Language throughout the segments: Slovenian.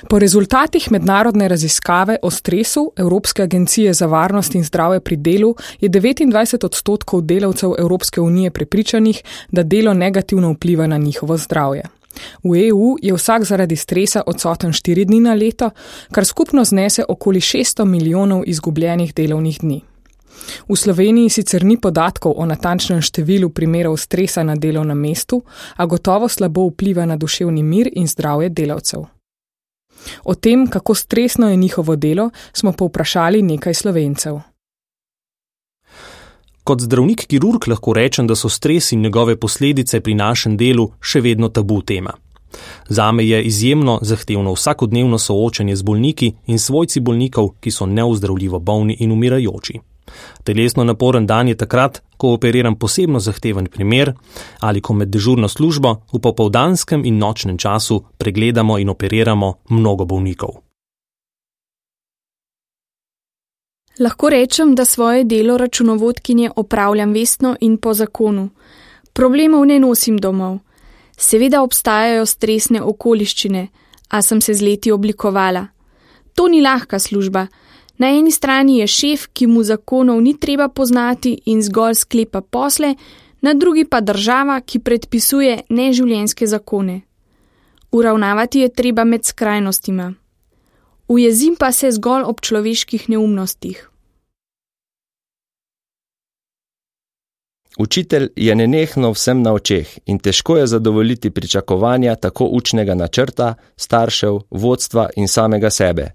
Po rezultatih mednarodne raziskave o stresu Evropske agencije za varnost in zdravje pri delu je 29% delavcev Evropske unije prepričanih, da delo negativno vpliva na njihovo zdravje. V EU je vsak zaradi stresa odsoten 4 dni na leto, kar skupno znese okoli 600 milijonov izgubljenih delovnih dni. V Sloveniji sicer ni podatkov o natančnem številu primerov stresa na delovnem mestu, a gotovo slabo vpliva na duševni mir in zdravje delavcev. O tem, kako stresno je njihovo delo, smo povprašali nekaj Slovencev. Kot zdravnik-kirurg lahko rečem, da so stres in njegove posledice pri našem delu še vedno tabu tema. Zame je izjemno zahtevno vsakodnevno soočanje z bolniki in svojci bolnikov, ki so neozdravljivo bolni in umirajoči. Telesno naporen dan je takrat, ko operiram posebno zahteven primer ali ko med dežurno službo v popoldanskem in nočnem času pregledamo in operiramo mnogo bolnikov. Lahko rečem, da svoje delo računovodkinje opravljam vestno in po zakonu. Problemov ne nosim domov. Seveda obstajajo stresne okoliščine, a sem se z leti oblikovala. To ni lahka služba. Na eni strani je šef, ki mu zakonov ni treba poznati in zgolj sklepa posle, na drugi pa država, ki predpisuje neživljenjske zakone. Uravnavati je treba med skrajnostima. Ujezim pa se zgolj ob človeških neumnostih. Učitelj je nenehno vsem na očeh in težko je zadovoljiti pričakovanja tako učnega načrta, staršev, vodstva in samega sebe.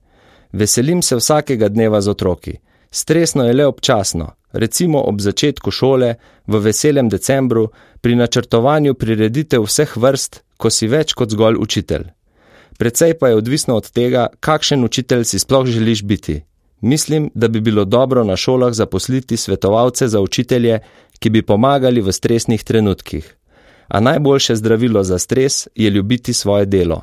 Veselim se vsakega dneva z otroki. Stresno je le občasno, recimo ob začetku šole, v veselem decembru, pri načrtovanju prireditev vseh vrst, ko si več kot zgolj učitelj. Precej pa je odvisno od tega, kakšen učitelj si sploh želiš biti. Mislim, da bi bilo dobro na šolah zaposliti svetovalce za učitelje, ki bi pomagali v stresnih trenutkih. A najboljše zdravilo za stres je ljubiti svoje delo.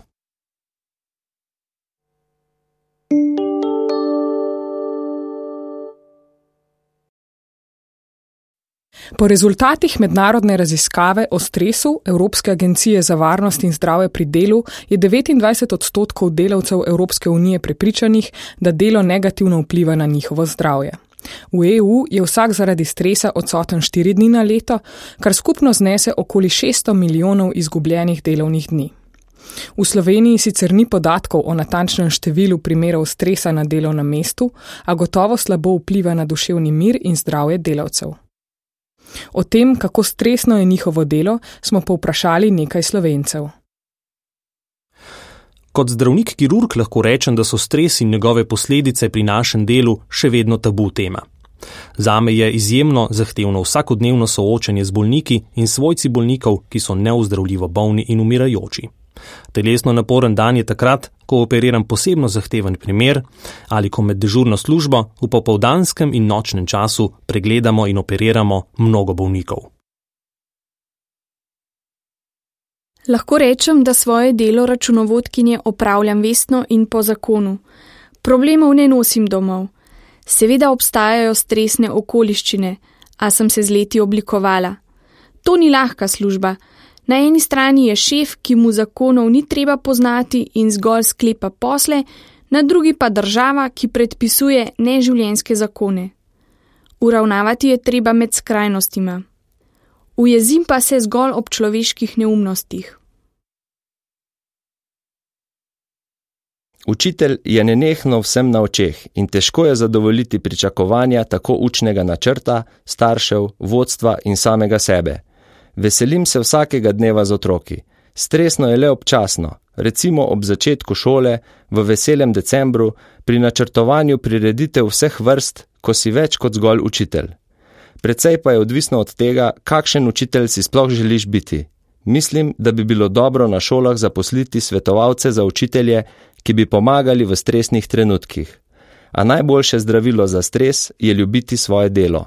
Po rezultatih mednarodne raziskave o stresu Evropske agencije za varnost in zdravje pri delu je 29% delavcev Evropske unije prepričanih, da delo negativno vpliva na njihovo zdravje. V EU je vsak zaradi stresa odsoten 4 dni na leto, kar skupno znese okoli 600 milijonov izgubljenih delovnih dni. V Sloveniji sicer ni podatkov o natančnem številu primerov stresa na delovnem mestu, a gotovo slabo vpliva na duševni mir in zdravje delavcev. O tem, kako stresno je njihovo delo, smo povprašali nekaj Slovencev. Kot zdravnik-kirurg lahko rečem, da so stres in njegove posledice pri našem delu še vedno tabu tema. Zame je izjemno zahtevno vsakodnevno soočanje z bolniki in svojci bolnikov, ki so neozdravljivo bolni in umirajoči. Telesno naporen dan je takrat, ko operiram posebno zahteven primer ali ko med dežurno službo v popoldanskem in nočnem času pregledamo in operiramo mnogo bolnikov. Lahko rečem, da svoje delo računovodkinje opravljam vestno in po zakonu. Problemov ne nosim domov. Seveda obstajajo stresne okoliščine, a sem se z leti oblikovala. To ni lahka služba. Na eni strani je šef, ki mu zakonov ni treba poznati in zgolj sklepa posle, na drugi pa država, ki predpisuje neživljenjske zakone. Uravnavati je treba med skrajnostima. Ujezim pa se zgolj ob človeških neumnostih. Učitelj je nenehno vsem na očeh in težko je zadovoljiti pričakovanja tako učnega načrta, staršev, vodstva in samega sebe. Veselim se vsakega dneva z otroki. Stresno je le občasno, recimo ob začetku šole, v veselem decembru, pri načrtovanju prireditev vseh vrst, ko si več kot zgolj učitelj. Precej pa je odvisno od tega, kakšen učitelj si sploh želiš biti. Mislim, da bi bilo dobro na šolah zaposliti svetovalce za učitelje, ki bi pomagali v stresnih trenutkih. A najboljše zdravilo za stres je ljubiti svoje delo.